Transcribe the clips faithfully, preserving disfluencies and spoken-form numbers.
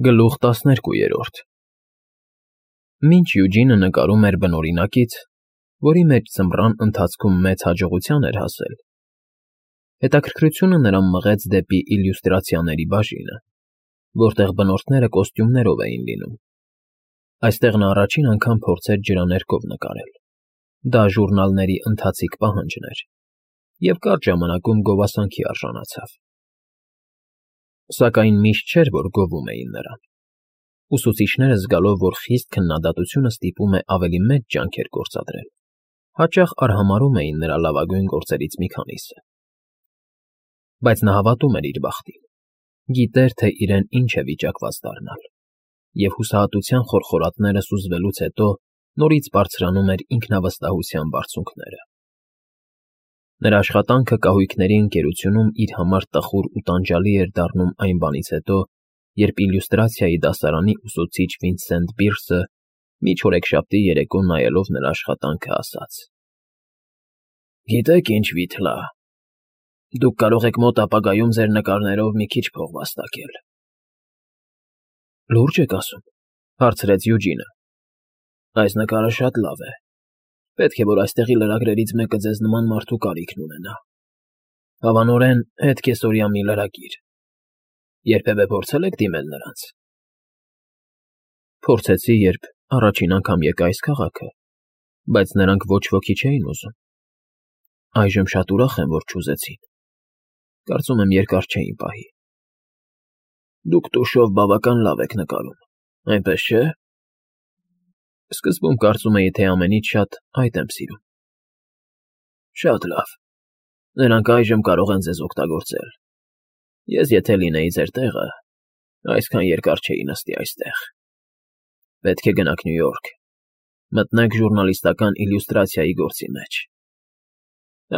Գլուխ տասներկուերորդ Մինչ Յուջինը նկարում էր բնօրինակից, որի մեջ ձմռան ընթացքում մեծ հաջողության էր հասել, հետաքրքրությունը նրան մղեց դեպի իլյուստրացիաների բաժինը, որտեղ բնորդները կոստյումներով էին լինում. այստեղ նա առաջին անգամ փորձեց ջրաներկով նկարել. դա ժուռնալների ընթացիկ պահանջն էր և կարճ ժամանակում գովասանքի արժանացավ. Սակայն միշտ չէր, որ գովում էին նրան. ուսուցիչները զգալով, որ խիստ քննադատությունը ստիպում է ավելի մեծ ջանքեր գործադրել, հաճախ արհամարհում էին նրա լավագույն գործերից մի քանիսը. բայց նա հավատում էր իր բախտին, գիտեր, թե իրեն ինչ է վիճակված դառնալ, և հուսահատության խորխորատները սուզվելուց հետո նորից բարձրանում էր ինքնավստահության բարձունքները. Նրա աշխատանքը կահույքների ընկերությունում իր համար տխուր ու տանջալի էր դառնում այն բանից հետո, երբ իլյուստրացիայի դասարանի ուսուցիչ Վինսենտ Բիրսը մի չորեքշաբթի երեկո նայելով նրա աշխատանքը ասաց. «Գիտեք ինչ, Վիթլա, դուք կարող եք մոտ ապագայում ձեր նկարներով մի քիչ փող վաստակել»։ «Լուրջ եք ասում,֊ հարցրեց Յուջինը,֊ այս նկարը շատ լավ է, պետք է, որ այստեղի լրագրերից մեկը ձեզ նման մարդու կարիքն ունենա, հավանորեն հետքեսօրյա մի լրագիր. երբևէ փորձել եք դիմել նրանց»։ «Փորձեցի, երբ առաջին անգամ եկա այս քաղաքը, բայց նրանք ոչ ոքի չէին ուզում, այժմ շատ ուրախ եմ, որ չուզեցին, կարծում եմ երկար չէին պահի»։ «Դուք տուշով բավական լավ եք նկարում, այնպես չէ՞։ Սկզբում կարծում էի, թե ամենից շատ այդ եմ սիրում»։ «Շատ լավ, նրանք այժմ կարող են ձեզ օգտագործել, ես եթե լինեի ձեր տեղը, այսքան երկար չէի նստի այստեղ։ Պետք է գնաք Նյու Յորք, մտնեք ժուռնալիստական իլյուստրացիայի գործի մեջ,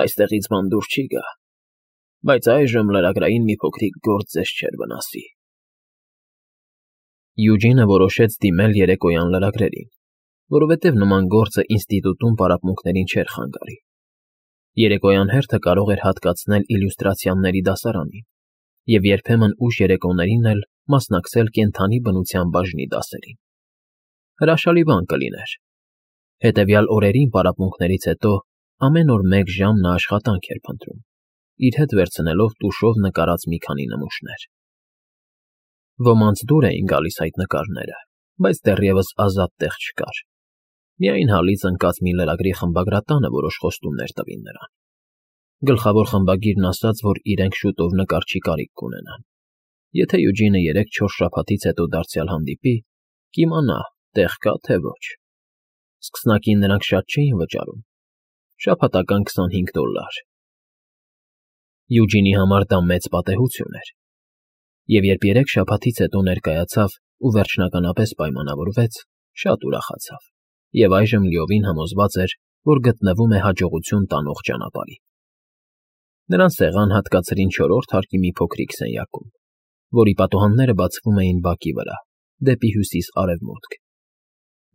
այստեղից բան դուր չի գա, բայց այժմ լրագրային մի փոքրիկ գործ ձեզ չէր վնասի»։ Յուջինը որոշեց դիմել երեկոյան լրագրերին, որովհետև նման գործը ինստիտուտում պարապմունքներին չէր խանգարի. երեկոյան հերթը կարող էր հատկացնել իլյուստրացիաների դասարանին և երբեմն ուշ երեկոներին էլ մասնակցել կենդանի բնության բաժնի դասերին. հրաշալի բան կլիներ. հետևյալ օրերին պարապմունքներից հետո ամեն օր մեկ ժամ նա աշխատանք էր փնտրում, իր հետ վերցնելով տուշով նկարած մի քանի նմուշներ։ Ոմանց դուր էին գալիս այդ նկարները, բայց դեռևս ազատ տեղ չկար. միայն հալից ընկած մի լրագրի խմբագրատանը որոշ խոստումներ տվին նրան. Գլխավոր խմբագիրն ասաց, որ իրենք շուտով նկարչի կարիք կունենան. եթե Յուջինը երեք֊չորս շաբաթից հետո դարձյալ հանդիպի, կիմանա, տեղ կա, թե ոչ։ Սկսնակին նրանք շատ չէին վճարում, շաբաթական քսանհինգ դոլար։ Յուջինի համար դա մեծ պատեհություն էր, և երբ երեք շաբաթից հետո ներկայացավ ու վերջնականապես պայմանավորվեց, շատ ուրախացավ և այժմ լիովին համոզված էր, որ գտնվում է հաջողություն տանող ճանապարհին։ Նրան սեղան հատկացրին չորրորդ հարկի մի փոքրիկ սենյակում, որի պատուհանները բացվում էին բակի վրա, դեպի հյուսիս֊արևմուտք։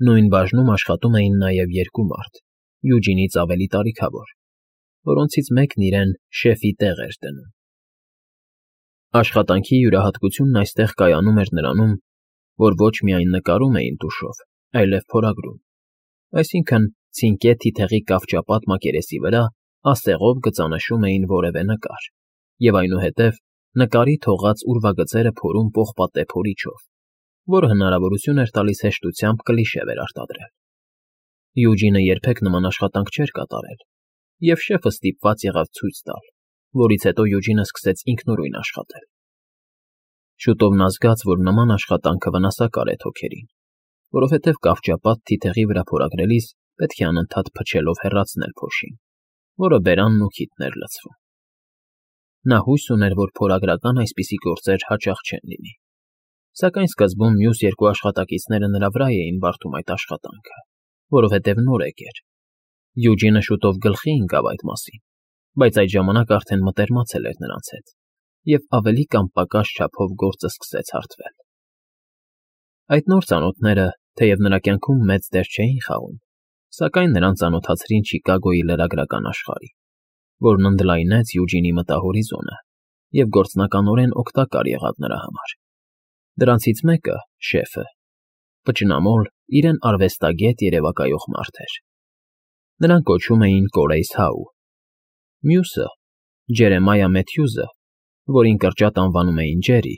Նույն բաժնում աշխատում էին նաև երկու մարդ, Յուջինից ավելի տարիքավոր, որոնցից մեկն իրեն շեֆի տեղ էր դնում։ Աշխատանքի յուրահատկությունն այստեղ կայանում էր նրանում, որ ոչ միայն նկարում էին տուշով, այլև փորագրում, այսինքն՝ ցինկե թիթեղի կավճապատ մակերեսի վրա ասեղով գծանշում էին որևէ նկար և այնուհետև նկարի թողած ուրվագծերը փորում պողպատե փորիչով, որը հնարավորություն էր տալիս հեշտությամբ կլիշե վերարտադրել։ Յուջինը երբեք նման աշխատանք չէր կատարել, և շեֆը ստիպված եղավ ցույց տալ, որից հետո Յուջինը սկսեց ինքնուրույն աշխատել։ Շուտով նա զգաց, որ նման աշխատանքը վնասակար է թոքերին, որովհետև կավճապատ թիթեղի վրա փորագրելիս պետք է անընդհատ փչելով հեռացնել փոշին, որը բերանն ու քիթն էր լցվում։ Նա հույս ուներ, որ փորագրական այսպիսի գործեր հաճախ չեն լինի, սակայն սկզբում մյուս երկու աշխատակիցները նրա վրա էին բարդում այդ աշխատանքը, որովհետև նորեկ էր։ Յուջինը շուտով գլխի ընկավ այդ մասին, բայց այդ ժամանակ արդեն մտերմացել էր նրանց հետ, և ավելի կամ պակաս չափով գործը սկսեց հարթվել։ Այդ նոր ծանոթները, թեև նրա կյանքում մեծ դեր չէին խաղում, սակայն նրան ծանոթացրին Չիկագոյի լրագրական աշխարհին, որն ընդլայնեց Յուջինի մտահորիզոնը և գործնականորեն օգտակար եղավ նրա համար։ Դրանցից մեկը՝ շեֆը, պճնամոլ, իրեն արվեստագետ երևակայող մարդ էր. նրան կոչում էին Կորեյս Հաու, մյուսը՝ Ջերեմայա Մեթյուզը, որին կրճատ անվանում էին Ջերի,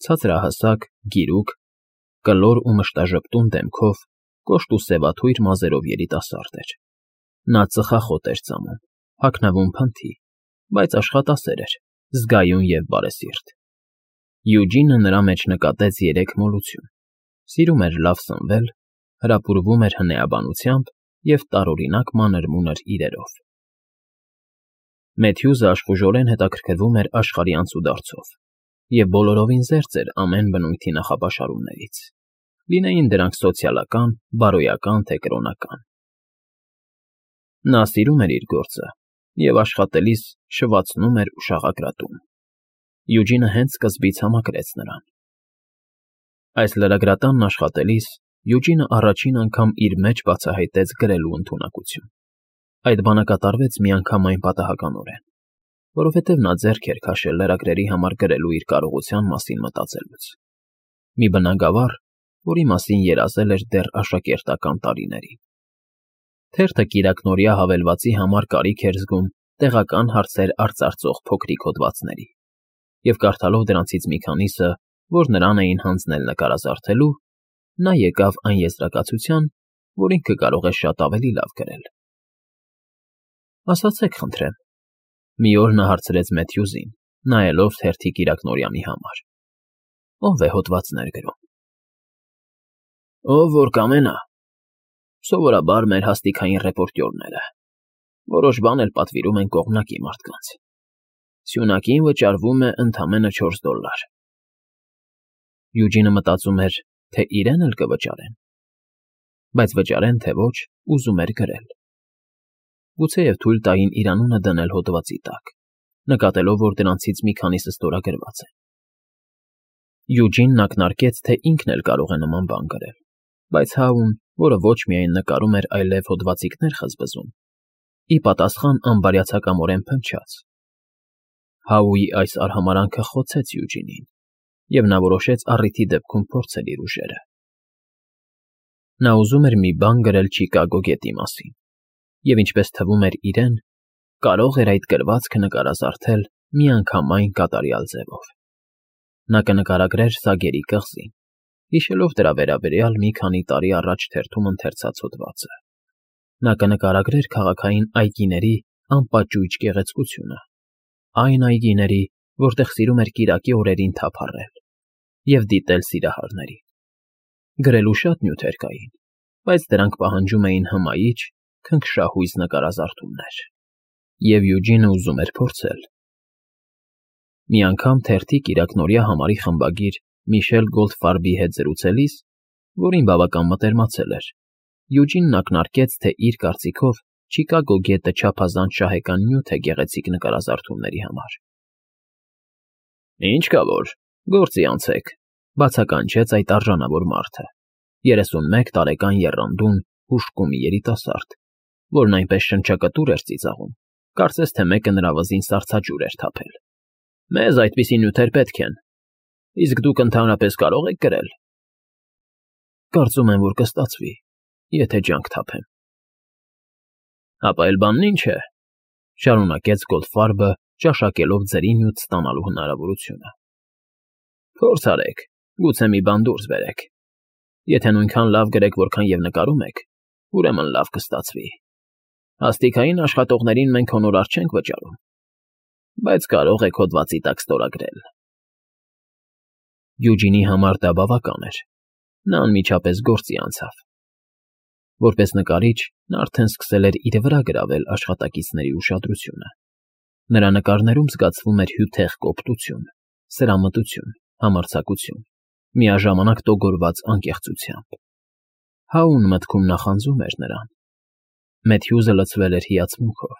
ցածրահասակ, գիրուկ, կլոր ու մշտաժպտուն դեմքով, կոշտ ու սևաթույր մազերով երիտասարդ էր. նա ծխախոտ էր ծամում, հագնվում փնթի, բայց աշխատասեր էր, զգայուն և բարեսիրտ. Յուջինը նրա մեջ նկատեց երեք մոլություն. սիրում էր լավ սնվել, հրապուրվում էր հնեաբանությամբ և տարօրինակ մանր֊մունր իրերով։ Մեթյուզը աշխուժորեն հետաքրքրվում էր աշխարհի անցուդարձով և բոլորովին զերծ էր ամեն բնույթի նախապաշարումներից, լինեին դրանք սոցիալական, բարոյական, թե կրոնական։ Նա սիրում էր իր գործը և աշխատելիս շվացնում էր ու շաղակրատում։ Յուջինը հենց սկզբից համակրեց նրան։ Այս լրագրատանն աշխատելիս Յուջինը առաջին անգամ իր մեջ բացահայտեց գրելու ընդունակություն։ Այդ բանը կատարվեց միանգամայն պատահականորեն, որովհետև նա ձեռք էր քաշել լրագրերի համար գրելու իր կարողության մասին մտածելուց։ Մի բնագավառ, որի մասին երազել էր դեռ աշակերտական տարիներին։ Թերթը կիրակնօրյա հավելվածի համար կարիք էր զգում տեղական հարցեր արծարծող փոքրիկ հոդվածների, և կարդալով դրանցից մի քանիսը, որ նրան էին հանձնել նկարազարդելու, նա եկավ այն եզրակացության, որ ինքը կարող է շատ ավելի լավ գրել։ Ասացեք, խնդրեմ, մի օր նա հարցրեց Մեթյուզին, նայելով թերթի կիրակնօրյանի համար. ով է հոդվածներ գրում։ Ով որ կամենա, սովորաբար մեր հաստիքային ռեպորտյորները, որոշ բան էլ պատվիրում են կողմնակի մարդկանց։ Սյունակին վճարվում է ընդամենը չորս դոլար։ Յուջինը մտածում էր, թե իրեն էլ կվճարեն, բայց վճարեն, թե ոչ, ուզում էր գրել։ Գուցեև թույլ տային իր անունը դնել հոդվածի տակ, նկատելով, որ դրանցից մի քանիսը ստորագրված են։ Յուջինն ակնարկեց, թե ինքն էլ կարող է նման բան գրել, բայց Հաուն, որը ոչ միայն նկարում էր, այլև հոդվածիկներ խզբզում, ի պատասխան անբարյացակամորեն փնչաց։ Հաուի այս արհամարհանքը խոցեց Յուջինին, և նա որոշեց առիթի դեպքում փորձել իր ուժերը։ Նա ուզում էր մի բան գրել Չիկագո գետի մասին, և ինչպես թվում էր իրեն, կարող էր այդ գրվածքը նկարազարդել միանգամայն կատարյալ ձևով։ Նա կնկարագրեր Սագերի կղզին, հիշելով դրա վերաբերյալ մի քանի տարի առաջ թերթում ընթերցած հոդվածը։ Նա կնկարագրեր քաղաքային այգիների անպաճույճ գեղեցկությունը, այն այգիների, որտեղ սիրում էր կիրակի օրերին թափառել և դիտել սիրահարներին։ Գրելու շատ նյութեր կային, բայց դրանք պահանջում էին հմայիչ, քնքշահույզ նկարազարդումներ, և Յուջինը ուզում էր փորձել։ Մի անգամ թերթի կիրակնօրյա համարի խմբագիր Միշել Գոլդֆարբի հետ զրուցելիս, որին բավական մտերմացել էր, Յուջինն ակնարկեց, թե իր կարծիքով Չիկագո գետը չափազանց շահեկան նյութ է գեղեցիկ նկարազարդումների համար։ Ինչ կա որ, գործի անցեք, բացականչեց այդ արժանավոր մարդը, երեսունմեկ տարեկան եռանդուն, հուժկու մի երիտասարդ, որն այնպես շնչակտուր էր ծիծաղում, կարծես թե մեկը նրա վզին սառցաջուր էր թափել։ Մեզ այդպիսի նյութեր պետք են, իսկ դուք ընդհանրապես կարող եք գրել։ Կարծում եմ, որ կստացվի, եթե ջանք թափեմ։ Հապա էլ բանն ինչ է, շարունակեց Գոլդֆարբը, ճաշակելով ձրի նյութ ստանալու հնարավորությունը։ Փորձ արեք, գուցե մի բան դուրս բերեք։ Եթե նույնքան լավ գրեք, որքան և նկարում եք, ուրեմն լավ կստացվի։ Հաստիքային աշխատողներին մենք հոնորար չենք վճարում, բայց կարող եք հոդվածի տակ ստորագրել։ Յուջինի համար դա բավական էր։ Նա անմիջապես գործի անցավ։ Որպես նկարիչ, նա արդեն սկսել էր իր վրա գրավել աշխատակիցների ուշադրությունը։ Նրա նկարներում զգացվում էր հյութեղ կոպտություն, սրամտություն, համարձակություն, միաժամանակ տոգորված անկեղծությամբ։ Հաուն մտքում նախանձում էր նրան։ Մեթյուզը լցվել էր հիացմունքով։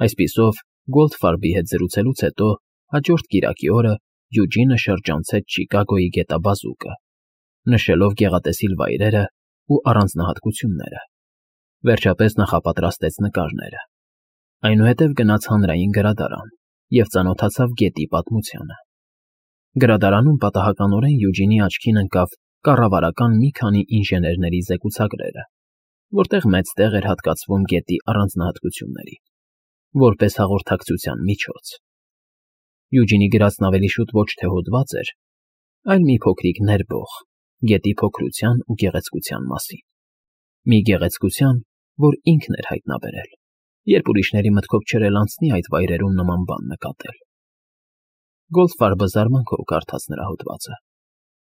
Այսպիսով, Գոլդֆարբի հետ զրուցելուց հետո հաջորդ կիրակի օրը Յուջինը շրջանցեց Չիկագոյի գետաբազուկը, նշելով գեղատեսիլ վայրերը ու առանձնահատկությունները։ Վերջապես նախապատրաստեց նկարները։ Այնուհետև գնաց հանրային գրադարան և ծանոթացավ գետի պատմությանը։ Գրադարանում պատահականորեն Յուջինի աչքին ընկավ կառավարական մի քանի ինժեներների զեկուցագրերը, որտեղ մեծ տեղ էր հատկացվում գետի առանձնահատկություններին, որպես հաղորդակցության միջոց։ Յուջինի գրածն ավելի շուտ ոչ թե հոդված էր, այլ մի փոքրիկ ներբող գետի փոքրության ու գեղեցկության մասին։ Մի գեղեցկության, որ ինքն էր հայտնաբերել, երբ ուրիշների մտքով չէր էլ անցնի այդ վայրերում նման բան նկատել։ Գոլդֆարբը զարմանքով կարդաց նրա հոդվածը։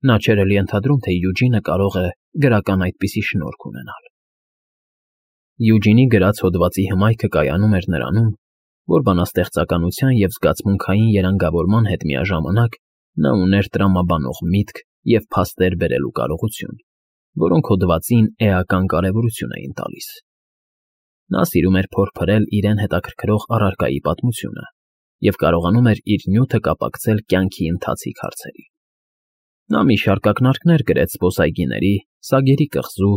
Նա չէր էլի ենթադրում, թե Յուջինը կարող է գրական այդպիսի շնորհք ունենալ։ Յուջինի գրած հոդվածի հմայքը կայանում էր նրանում, որ բանաստեղծականության և զգացմունքային երանգավորման հետ միաժամանակ նա ուներ տրամաբանող միտք և փաստեր բերելու կարողություն, որոնք հոդվածին էական կարևորություն էին տալիս։ Նա սիրում էր փորփրել իրեն հետաքրքրող առարկայի պատմությունը և կարողանում էր իր նյութը կապակցել կյանքի ընթացիկ հարցերին։ Նա մի շարք ակնարկներ գրեց զբոսայգիների, Սագերի կղզու,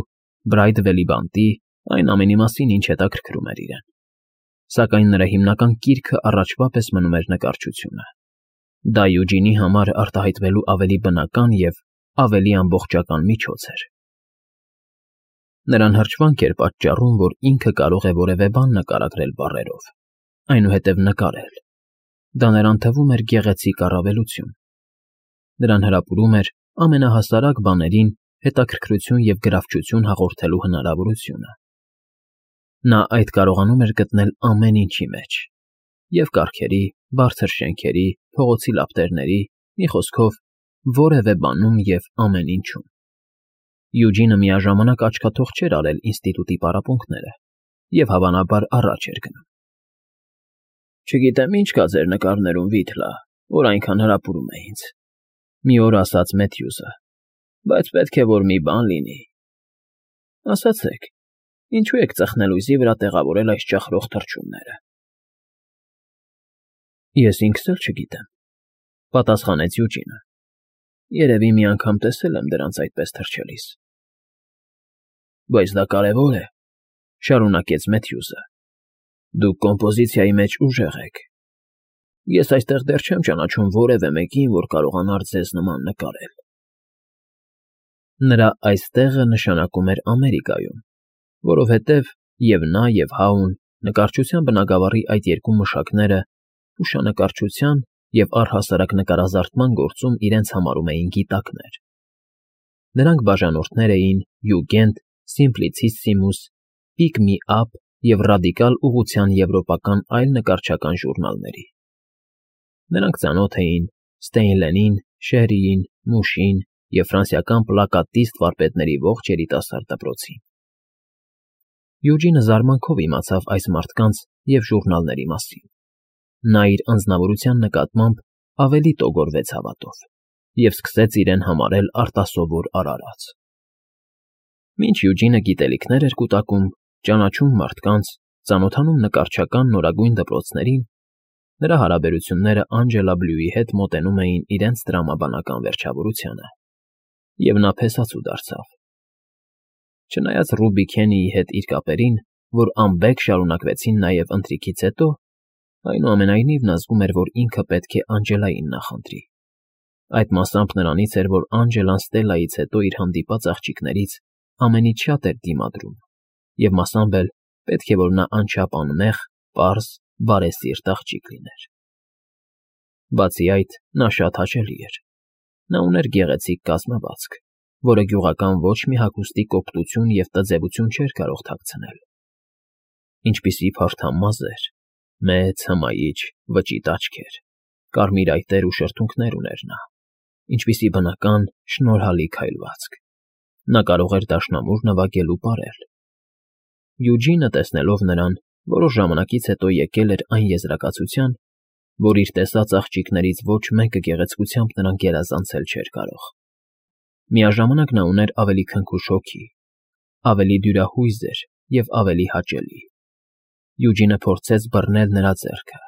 Բրայդվելի բանտի, այն ամենի մասին, ինչ հետաքրքրում էր իրեն։ Սակայն նրա հիմնական կիրքը առաջվա պես մնում էր նկարչությունը։ Դա Յուջինի համար արտահայտվելու ավելի բնական և ավելի ամբողջական միջոց էր։ Նրան հրճվանք էր պատճառում, որ ինքը կարող է որևէ բան նկարագրել բառերով, այնուհետև նկարել։ Դա նրան թվում էր գեղեցիկ առավելություն։ Նրան հրապուրում էր ամենահասարակ բաներին հետաքրքրություն և գրավչություն հաղորդելու հնարավորությունը։ Նա այդ կարողանում էր գտնել ամեն ինչի մեջ, և կառքերի, բարձր շենքերի, փողոցի լապտերների, մի խոսքով, որևէ բանում և ամեն ինչում։ Յուջինը միաժամանակ աչքաթող չէր արել ինստիտուտի պարապմունքները և հավանաբար առաջ էր գնում։ «Չգիտեմ ինչ կա ձեր նկարներում, Վիթլա, որ այնքան հրապուրում է ինձ», մի օր ասաց Մեթյուզը, «բայց պետք է որ մի բան լինի։ Ասացեք, ինչու եք ծխնել ուզի վրա տեղավորել այս ճախրող թռչունները»։ «Ես ինքս էլ չգիտեմ», պատասխանեց Յուջինը։ «Երևի մի անգամ տեսել եմ դրանց այդպես թռչելիս»։ «Բայց դա կարևոր է», շարունակեց Մեթյուզը։ «Դուք կոմպոզիցիայի մեջ ուժեղ եք։ Ես այստեղ դեռ չեմ ճանաչում որևէ մեկին, որ կարողանար ձեզ նման նկարել»։ Նրա «այստեղը» նշանակում էր Ամերիկայում, որովհետև և նա, և Հաուն նկարչության բնագավառի այդ երկու մշակները լուսանկարչության և առհասարակ նկարազարդման գործում իրենց համարում էին գիտակներ։ Նրանք բաժանորդներ էին Յուգենդ, Սիմպլիցիսիմուս, Պիկ Մի Ափ և Ռադիկալ ուղղության եվրոպական այլ նկարչական ժուրնալների։ Նրանք ծանոթ էին Ստեյնլենին, Շերիին, Մուշին և ֆրանսիական պլակատիստ վարպետների ողջ երիտասարդ դպրոցին։ Յուջինը զարմանքով իմացավ այս մարդկանց և ժուրնալների մասին։ Նա իր անձնավորության նկատմամբ ավելի տոգորվեց հավատով և սկսեց իրեն համարել արտասովոր արարած։ Մինչ Յուջինը գիտելիքներ էր կուտակում, ճանաչում մարդկանց, ծանոթանում նկարչական նորագույն դպրոցներին, նրա հարաբերությունները Անջելա Բլյուի հետ մոտենում էին իրենց տրամաբանական վերջավորությանը, և նա փեսացու դարձավ։ Չնայած Ռուբի Քենիի հետ իր կապերին, որ անբեկ շարունակվեցին նաև ընթրիքից հետո, այնուամենայնիվ նա զգում էր, որ ինքը պետք է Անջելային նախընտրի։ Այդ մասամբ նրանից էր, որ Անջելան Ստելլայից հետո իր հանդիպած աղջիկներից ամենից շատ էր դիմադրում, և մասամբ էլ պետք է որ նա անչափ անմեղ, պարզ, բարեսիրտ աղջիկ լիներ։ Բացի այդ, նա շատ հաճելի էր։ Նա ուներ գեղեցիկ կազմվածք, որը գյուղական ոչ մի հագուստի կոպտություն և տձևություն չէր կարող թաքցնել։ Ինչպիսի փարթամ մազեր, մեծ, հմայիչ, վճիտ աչքեր, կարմիր այտեր ու շրթունքներ ուներ նա, ինչպիսի բնական, շնորհալի քայլվածք։ Նա կարող էր դաշնամուր նվագել ու պարել։ Յուջինը, տեսնելով նրան, որոշ ժամանակից հետո եկել էր այն եզրակացության, որ իր տեսած աղջիկներից ոչ մեկը գեղեցկությամբ նրան գերազանցել չէր կարող։ Միաժամանակ նա ուներ ավելի քնքուշ հոգի, ավելի դյուրահույզ էր և ավելի հաճելի։ Յուջինը փորձեց բռնել նրա ձեռքը,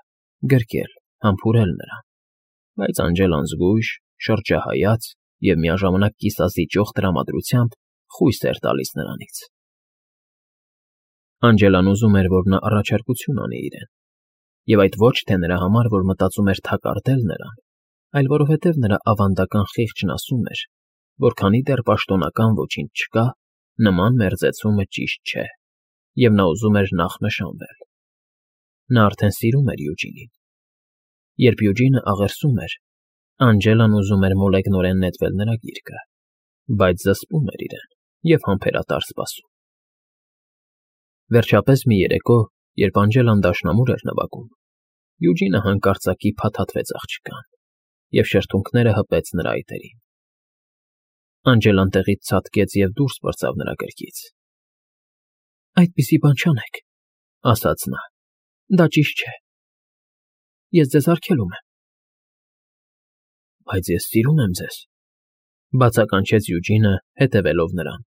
գրկել, համբուրել նրան, բայց Անջելան զգույշ, շրջահայաց և միաժամանակ կիսազիջող տրամադրությամբ խույս էր տալիս նրանից։ Անջելան ուզում էր, որ նա առաջարկություն անի իրեն, և այդ ոչ թե նրա համար, որ մտածում էր թակարդել նրան, այլ որովհետև նրա ավանդական խիղճն ասում էր, որ քանի դեռ պաշտոնական ոչինչ չկա, նման մերձեցումը ճիշտ չէ, և նա ուզում էր նախ նշանվել։ Նա արդեն սիրում էր Յուջինին։ Երբ Յուջինը աղերսում էր, Անջելան ուզում էր մոլեգնորեն նետվել նրա գիրկը, բայց զսպում էր իրեն և համբերատար սպասում։ Վերջապես մի երեկո, երբ Անջելան դաշնամուր էր նվագում, Յուջինը հանկարծակի փաթաթվեց աղջկան և շրթունքները հպեց նրա այտերին։ Անջելան տեղից ցատկեց և դուրս պրծավ նրա գրկից։ ֊ Այդպիսի բան չանեք, ֊ ասաց նա, ֊ դա ճիշտ չէ։ Ես ձեզ արգելում եմ։ ֊ Բայց ես սիրում եմ ձեզ, ֊ բացականչեց Յուջինը, հետևելով նրան։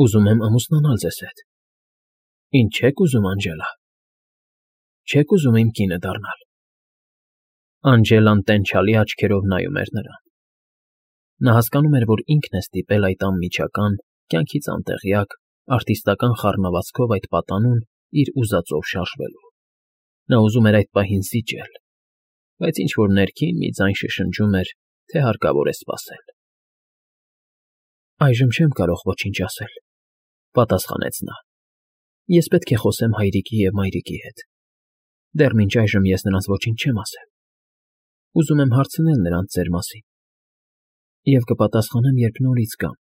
Ուզում եմ ամուսնանալ ձեզ հետ։ ֊ Ինչ չեք ուզում, Անջելա։ ֊ Չեք ուզում իմ կինը դառնալ։ Անջելան տենչալի աչքերով նայում էր նրան։ Նա հասկանում էր, որ ինքն է ստիպել այդ անմիջական, կյանքից անտեղյակ, արտիստական խառնվածքով այդ պատանուն իր ուզածով շարժվելու։ Նա ուզում էր այդ պահին զիջել, բայց ինչ֊որ ներքին մի ձայն շշնջում էր, թե հարկավոր է սպասել։ ֊ Այժմ չեմ կարող ոչինչ ասել, ֊ պատասխանեց նա։ Ես պետք է խոսեմ հայրիկի և մայրիկի հետ։ Դեռ մինչ այժմ ես նրանց ոչինչ չեմ ասել։ Ուզում եմ հարցնել նրանց ձեր մասին և կպատասխանեմ, երբ նորից գամ։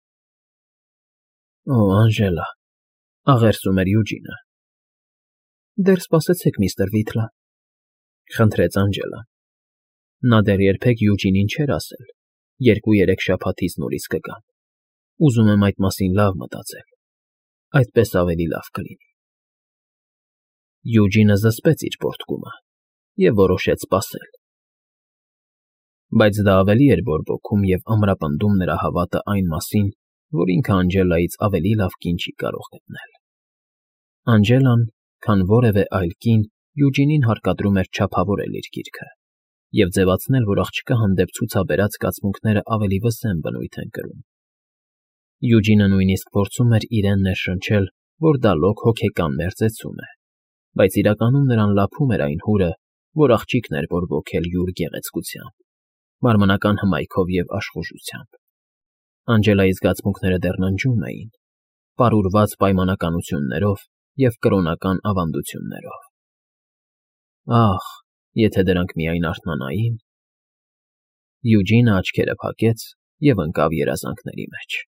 ֊ Օ, Անջելա, ֊ աղերսում էր Յուջինը։ ֊ Դեռ սպասեցեք, միստր Վիթլա, ֊ խնդրեց Անջելան։ Նա դեռ երբեք Յուջինին չէր ասել. երկու֊երեք շաբաթից նորից կգամ։ Ուզում եմ այդ մասին լավ մտածել, այդպես ավելի լավ կլինի։ Յուջինը զսպեց իր պոռթկումը և որոշեց սպասել։ Բայց դա ավելի էր բորբոքում և ամրապնդում նրա հավատը այն մասին, որ ինքը Անջելայից ավելի լավ կին չի կարող գտնել։ Անջելան, քան որևէ այլ կին, Յուջինին հարկադրում էր չափավորել իր գիրքը և ձևացնել, որ աղջկա հանդեպ ցուցաբերած զգացմունքները ավելի վսեմ բնույթ են կրում։ Յուջինը նույնիսկ փորձում էր իրեն ներշնչել, որ դա լոկ հոգեկան մերձեցում է, բայց իրականում նրան լափում էր այն հուրը, որ աղջիկն էր բորբոքել յուր գեղեցկությամբ, մարմնական հմայքով և աշխուժությամբ։ Անջելայի զգացմունքները դեռ ննջում էին, պարուրված պայմանականություններով և կրոնական ավանդություններով։ Ախ, եթե դրանք միայն արթնանային… Յուջինը աչքերը փակեց և ընկավ երազանքների մեջ։